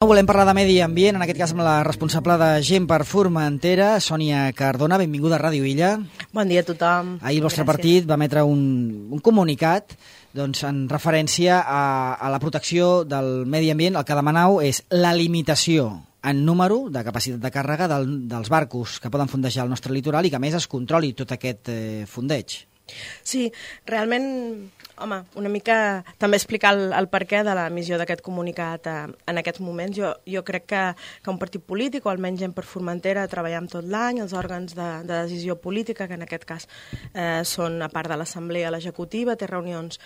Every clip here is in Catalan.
Volem parlar de medi ambient, en aquest cas amb la responsable de Gent per Formentera, Sònia Cardona. Benvinguda a Ràdio Illa. Bon dia a tothom. Ahir el vostre partit va emetre un comunicat en referència a la protecció del medi ambient. El que demanau és la limitació en número de capacitat de càrrega dels barcos que poden fondejar el nostre litoral i que a més es controli tot aquest fondeig. Sí, realment, home, una mica també explicar el perquè de l'emissió d'aquest comunicat en aquests moments. Jo crec que un partit polític, o almenys Gent per Formentera, treballam tot l'any, els òrgans de decisió política, que en aquest cas són, a part de l'Assemblea, l'executiva, té reunions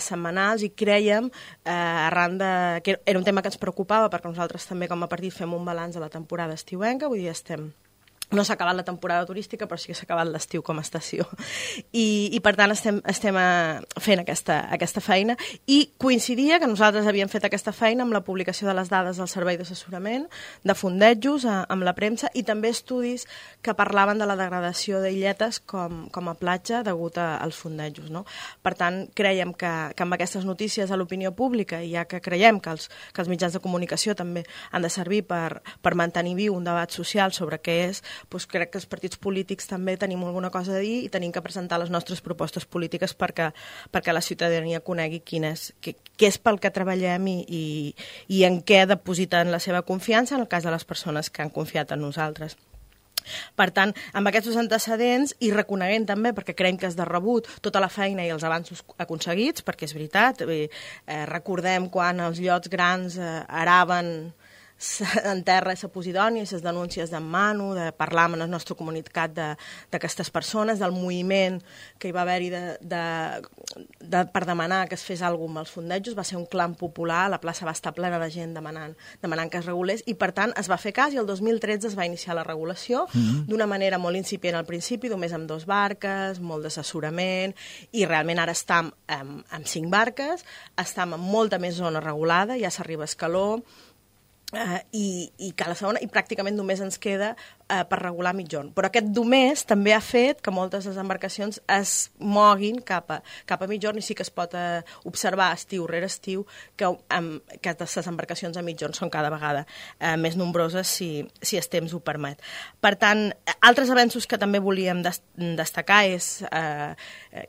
setmanals i crèiem, arran de... que era un tema que ens preocupava, perquè nosaltres també com a partit fem un balanç de la temporada estiuenca, vull dir, no s'ha acabat la temporada turística, però sí que s'ha acabat l'estiu com a estació. I per tant estem fent aquesta feina. I coincidia que nosaltres havíem fet aquesta feina amb la publicació de les dades del Servei d'Assessorament, de fondejos amb la premsa, i també estudis que parlaven de la degradació d'illetes com a platja degut als fondejos. No? Per tant, creiem que amb aquestes notícies a l'opinió pública, i ja que creiem que els mitjans de comunicació també han de servir per mantenir viu un debat social sobre què és, doncs crec que els partits polítics també tenim alguna cosa a dir i tenim que presentar les nostres propostes polítiques perquè la ciutadania conegui què és pel que treballem i en què depositen la seva confiança en el cas de les persones que han confiat en nosaltres. Per tant, amb aquests antecedents i reconeguent també, perquè creiem que és de rebut, tota la feina i els avanços aconseguits, perquè és veritat, recordem quan els llots grans araven en terra a Posidònia, les denúncies d'en Manu, de parlar amb la nostra comunitat d'aquestes persones, del moviment que hi va haver-hi per demanar que es fes alguna cosa amb els fondejos. Va ser un clam popular, la plaça va estar plena de gent demanant que es regulés, i per tant es va fer cas i el 2013 es va iniciar la regulació d'una manera molt incipient al principi, només amb 2 barques, molt d'assessorament, i realment ara estem amb 5 barques, estem en molta més zona regulada, ja s'arriba a Escaló, i Cala Segona, i pràcticament només ens queda per regular Mitjorn. Però aquest només també ha fet que moltes de les embarcacions es moguin cap a Mitjorn, i sí que es pot observar estiu rere estiu que les embarcacions a Mitjorn són cada vegada més nombroses si el temps ho permet. Per tant, altres avenços que també volíem destacar és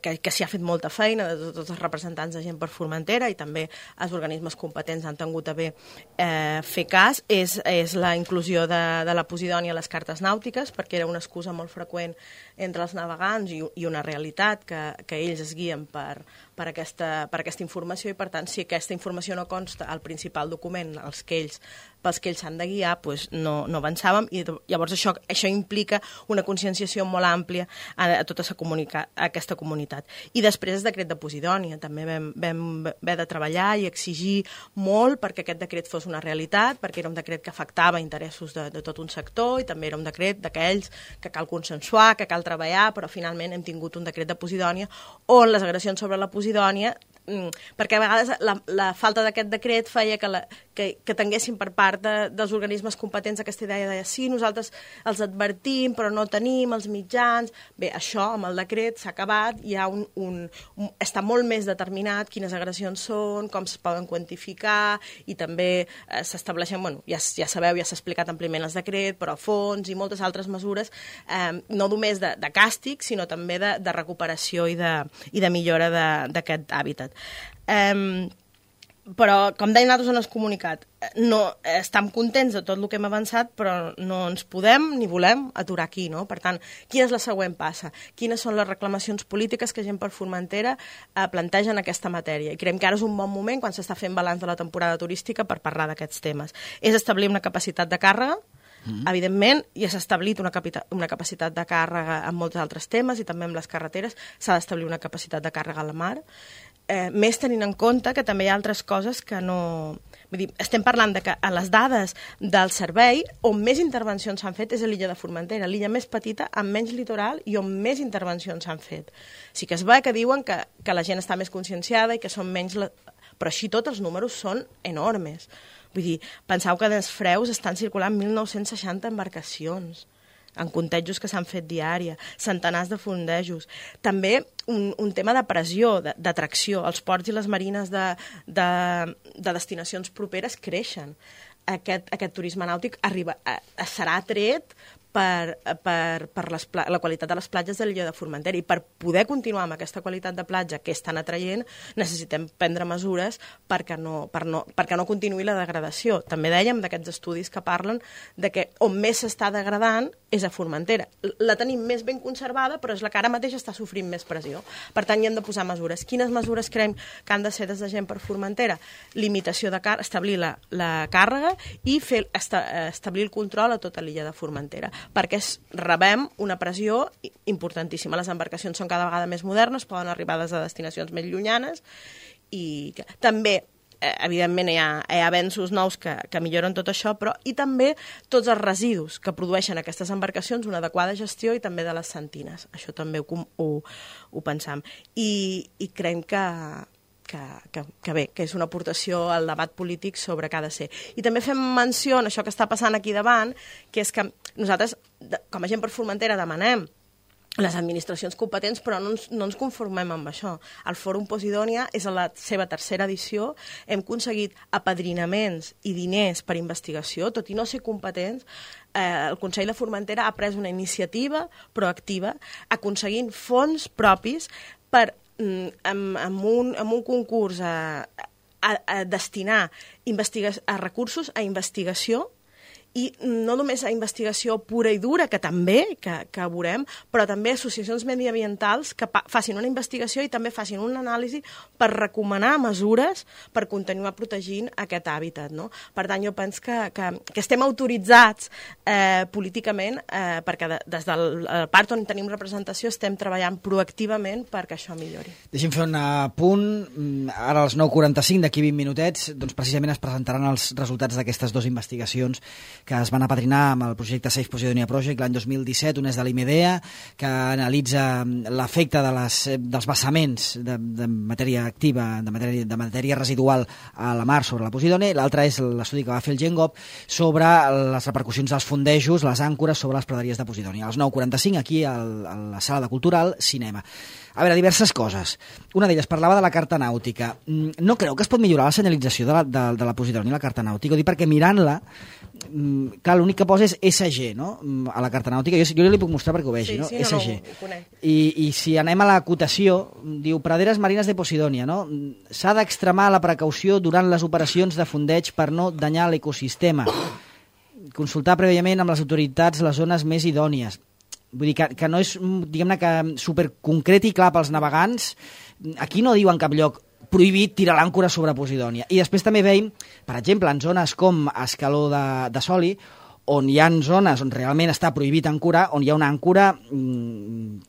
que s'hi ha fet molta feina de tots els representants de Gent per Formentera, i també els organismes competents han tingut a bé fer cas, és la inclusió de la Posidònia a les cartes nàutiques, perquè era una excusa molt freqüent entre els navegants i una realitat que ells es guien per aquesta informació, i per tant, si aquesta informació no consta al principal document pels que ells s'han de guiar, doncs no avançàvem, i llavors això implica una conscienciació molt àmplia a tota aquesta comunitat. I després el decret de Posidònia, també vam haver de treballar i exigir molt perquè aquest decret fos una realitat, perquè era un decret que afectava interessos de tot un sector, i també era un decret d'aquells que cal consensuar, que cal treballar, però finalment hem tingut un decret de Posidònia on les agressions sobre la Posidònia, perquè a vegades la falta d'aquest decret feia que tinguessin per part dels organismes competents aquesta idea de sí, nosaltres els advertim però no tenim els mitjans. Bé, això amb el decret s'ha acabat, hi ha està molt més determinat quines agressions són, com es poden quantificar, i també s'estableixen, ja sabeu, ja s'ha explicat àmpliament el decret, però a fons i moltes altres mesures, no només de càstig, sinó també de recuperació i de millora d'aquest hàbitat. Però, com deien nosaltres en el comunicat, estem contents de tot el que hem avançat, però no ens podem ni volem aturar aquí, no? Per tant, quina és la següent passa? Quines són les reclamacions polítiques que Gent per Formentera planteja en aquesta matèria? I creiem que ara és un bon moment, quan s'està fent balanç de la temporada turística, per parlar d'aquests temes. És establir una capacitat de càrrega, evidentment, ja s'ha establit una capacitat de càrrega en molts altres temes, i també amb les carreteres s'ha d'establir una capacitat de càrrega a la mar, més tenint en compte que també hi ha altres coses que no... Vull dir, estem parlant de que a les dades del servei on més intervencions s'han fet és a l'illa de Formentera, l'illa més petita, amb menys litoral i on més intervencions s'han fet. Sí que es va que diuen que la gent està més conscienciada i que són menys... Però així tot els números són enormes. Vull dir, penseu que dels Freus estan circulant 1.960 embarcacions. en contextos que s'han fet diària, centenars de fondejos. També un tema de pressió, d'atracció. Els ports i les marines de destinacions properes creixen. aquest turisme nàutic serà atret per la qualitat de les platges de l'illa de Formentera, i per poder continuar amb aquesta qualitat de platja que és tan atraient necessitem prendre mesures perquè no continuï la degradació. També dèiem d'aquests estudis que parlen de que on més s'està degradant és a Formentera. La tenim més ben conservada, però és la que ara mateix està sofrint més pressió. Per tant, hi hem de posar mesures. Quines mesures creiem que han de ser des de Gent per Formentera? Limitació de establir la càrrega i establir el control a tota l'illa de Formentera, perquè rebem una pressió importantíssima. Les embarcacions són cada vegada més modernes, poden arribar des de destinacions més llunyanes, i també evidentment hi ha avenços nous que milloren tot això, però i també tots els residus que produeixen aquestes embarcacions, una adequada gestió, i també de les sentines. Això també ho pensam. I creiem que bé, que és una aportació al debat polític sobre què ha de ser. I també fem menció en això que està passant aquí davant, que és que nosaltres, com a Gent per Formentera, demanem les administracions competents, però no ens conformem amb això. El Fòrum Posidònia és a la seva tercera edició, hem aconseguit apadrinaments i diners per investigació, tot i no ser competents. El Consell de Formentera ha pres una iniciativa proactiva aconseguint fons propis per amb un concurs a destinar recursos a investigació, i no només a investigació pura i dura, que també, que veurem, però també associacions mediambientals que facin una investigació i també facin una anàlisi per recomanar mesures per continuar protegint aquest hàbitat, no? Per tant, jo penso que estem autoritzats políticament perquè des del part on tenim representació estem treballant proactivament perquè això millori. Deixem fer un punt. Ara a les 9:45, d'aquí 20 minutets, doncs precisament es presentaran els resultats d'aquestes dues investigacions que es van apadrinar amb el projecte Safe Posidonia Project l'any 2017, un és de l'IMEDEA, que analitza l'efecte dels vessaments de matèria activa, de matèria residual a la mar sobre la Posidònia, i l'altre és l'estudi que va fer el GENGOP sobre les repercussions dels fondejos, les àncores sobre les praderies de Posidònia. A les 9:45, aquí a la sala de Cultural Cinema. A veure, diverses coses. Una d'elles parlava de la carta nàutica. No creu que es pot millorar la senyalització de la Posidònia, la carta nàutica? Ho dic perquè mirant-la, clar, l'únic que posa és SG, no?, a la carta nàutica. Jo li puc mostrar perquè ho vegi, no? Sí, SG. no, ho conec. I si anem a la cotació, diu praderes marines de Posidònia, no? S'ha d'extremar la precaució durant les operacions de fondeig per no danyar l'ecosistema. Consultar prèviament amb les autoritats les zones més idònies. Vull dir que no és, diguem-ne, que superconcret i clar pels navegants. Aquí no diu en cap lloc prohibit tirar l'àncora sobre Posidònia. I després també veiem, per exemple, en zones com Escaló de Soli, on hi ha zones on realment està prohibit ancorar, on hi ha una àncora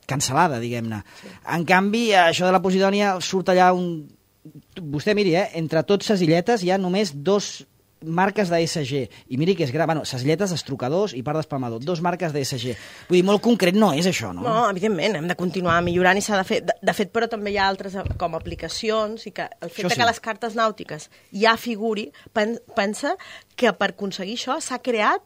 cancel·lada, diguem-ne. Sí. En canvi, això de la Posidònia surt allà Vostè miri, entre tots ses illetes hi ha només 2 marques d'ESG, i miri que és gran, bueno, ses illetes, estrucadors i part d'espalmador, 2 marques d'ESG. Vull dir, molt concret no és això, no? No, evidentment, hem de continuar millorant i s'ha de fer. De fet, però també hi ha altres com aplicacions, i que el fet que les cartes nàutiques ja figuri, pensa que per aconseguir això s'ha creat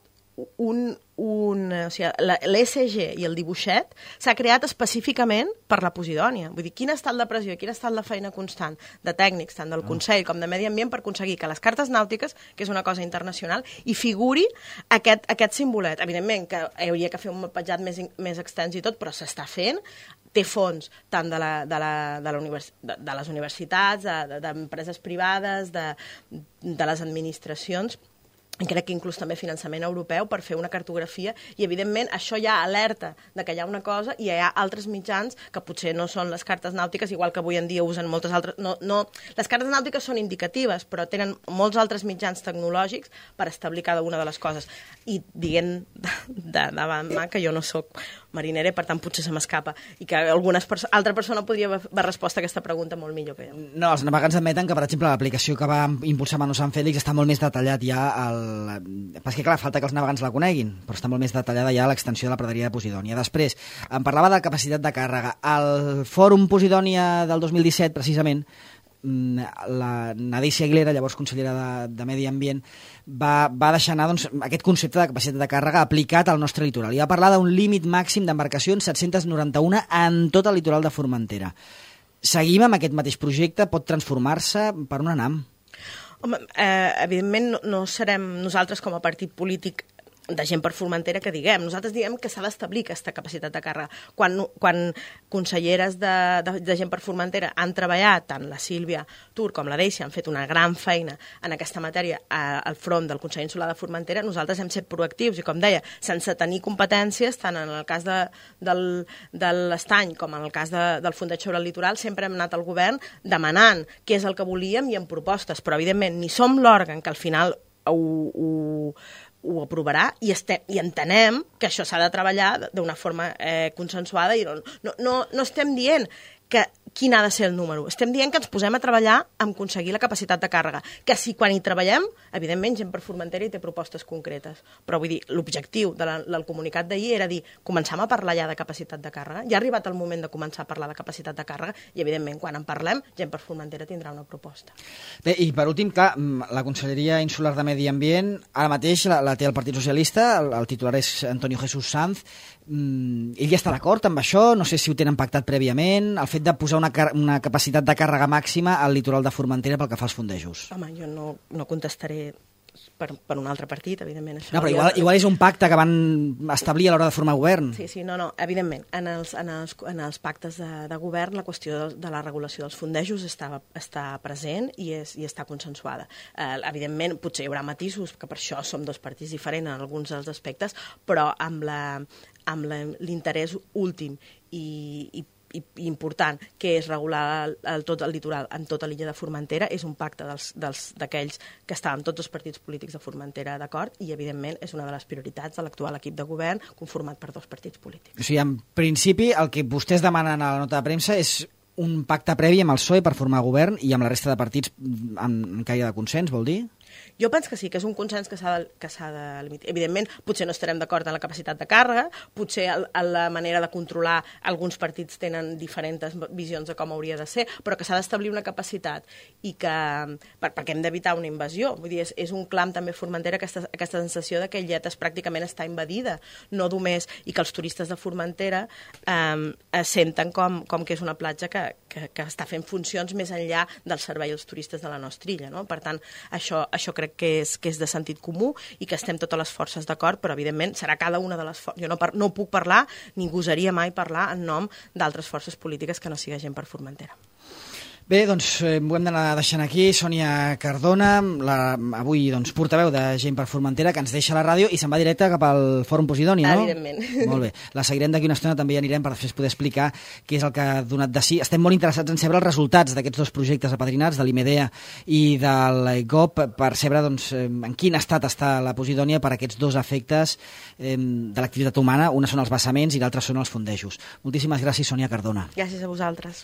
l'ESG i el dibuixet s'ha creat específicament per la Posidònia. Vull dir, quin ha estat la pressió, quina ha estat la feina constant de tècnics, tant del Consell com de Medi Ambient, per aconseguir que les cartes nàutiques, que és una cosa internacional, hi figuri aquest simbolet. Evidentment que hauria que fer un mapatjat més extens i tot, però s'està fent, té fons tant de les universitats, d'empreses privades, de les administracions, i crec que inclús també finançament europeu per fer una cartografia, i evidentment això ja alerta de que hi ha una cosa, i hi ha altres mitjans que potser no són les cartes nàutiques, igual que avui en dia usen moltes altres. Les cartes nàutiques són indicatives, però tenen molts altres mitjans tecnològics per establir cada una de les coses. I dient davant que jo no sóc marinera, per tant potser se m'escapa, i que altra persona podria haver respost a aquesta pregunta molt millor que jo. No, els navegants admeten que, per exemple, l'aplicació que va impulsar Manu Sant Fèlix està molt més detallat ja perquè, clar, falta que els navegants la coneguin, però està molt més detallada ja l'extensió de la praderia de Posidònia. Després, em parlava de capacitat de càrrega. Al Fòrum Posidònia del 2017, precisament, la Nadícia Aguilera, llavors consellera de Medi Ambient, va deixar anar aquest concepte de capacitat de càrrega aplicat al nostre litoral. I va parlar d'un límit màxim d'embarcacions, 791, en tot el litoral de Formentera. Seguim amb aquest mateix projecte? Pot transformar-se? Per on anem? Home, evidentment no serem nosaltres com a partit polític de gent per Formentera que diguem. Nosaltres diguem que s'ha d'establir aquesta capacitat de càrrega. Quan conselleres de gent per Formentera han treballat, tant la Sílvia Tur com la Deixi, han fet una gran feina en aquesta matèria al front del Consell Insular de Formentera, nosaltres hem set proactius i, com deia, sense tenir competències, tant en el cas de l'Estany com en el cas del Fondeig sobre el Litoral, sempre hem anat al govern demanant què és el que volíem i amb propostes, però evidentment ni som l'òrgan que al final ho aprovarà i entenem que això s'ha de treballar d'una forma consensuada i no estem dient quin ha de ser el número. Estem dient que ens posem a treballar amb aconseguir la capacitat de càrrega, que si quan hi treballem, evidentment gent per Formentera hi té propostes concretes, però vull dir, l'objectiu del comunicat d'ahir era dir, comencem a parlar ja de capacitat de càrrega, ja ha arribat el moment de començar a parlar de capacitat de càrrega i evidentment quan en parlem, gent per Formentera tindrà una proposta. Bé, i per últim, clar, la Conselleria Insular de Medi Ambient ara mateix la té el Partit Socialista, el titular és Antonio Jesús Sanz. Ell ja està d'acord amb això? No sé si ho tenen pactat prèviament, el fet de posar una capacitat de càrrega màxima al litoral de Formentera pel que fa als fondejos. Home, jo no contestaré per un altre partit, evidentment. Això no, però igual és un pacte que van establir a l'hora de formar govern. Sí, no, evidentment. En els pactes de govern la qüestió de la regulació dels fondejos està present i està consensuada. Evidentment, potser hi haurà matisos, que per això som dos partits diferents en alguns dels aspectes, però amb l'interès últim i important, que és regular tot el litoral en tota l'illa de Formentera, és un pacte d'aquells que estàvem tots els partits polítics de Formentera d'acord i, evidentment, és una de les prioritats de l'actual equip de govern conformat per dos partits polítics. O sigui, en principi, el que vostès demanen a la nota de premsa és un pacte previ amb el PSOE per formar govern i amb la resta de partits en caire de consens, vol dir? Jo penso que sí, que és un consens que s'ha de limitar. Evidentment, potser no estarem d'acord en la capacitat de càrrega, potser en la manera de controlar alguns partits tenen diferents visions de com hauria de ser, però que s'ha d'establir una capacitat i que, perquè hem d'evitar una invasió. Vull dir, és un clam també Formentera aquesta sensació de que Illetes pràcticament està invadida, no només, i que els turistes de Formentera senten com que és una platja que està fent funcions més enllà del servei als turistes de la nostra illa, no? Per tant, això crec que és de sentit comú i que estem totes les forces d'acord, però evidentment serà cada una de les forces. Jo no puc parlar, ni gosaria mai parlar en nom d'altres forces polítiques que no sigui gent per Formentera. Bé, doncs ho hem d'anar deixant aquí. Sònia Cardona, avui portaveu de Gent per Formentera, que ens deixa la ràdio i se'n va directe cap al Fòrum Posidoni, no? Evidentment. Molt bé. La seguirem d'aquí una estona, també hi anirem per després poder explicar què és el que ha donat de si. Estem molt interessats en saber els resultats d'aquests dos projectes apadrinats, de l'IMEDEA i del GOP, per saber en quin estat està la Posidònia per aquests dos efectes de l'activitat humana. Una són els vessaments i l'altra són els fondejos. Moltíssimes gràcies, Sònia Cardona. Gràcies a vosaltres.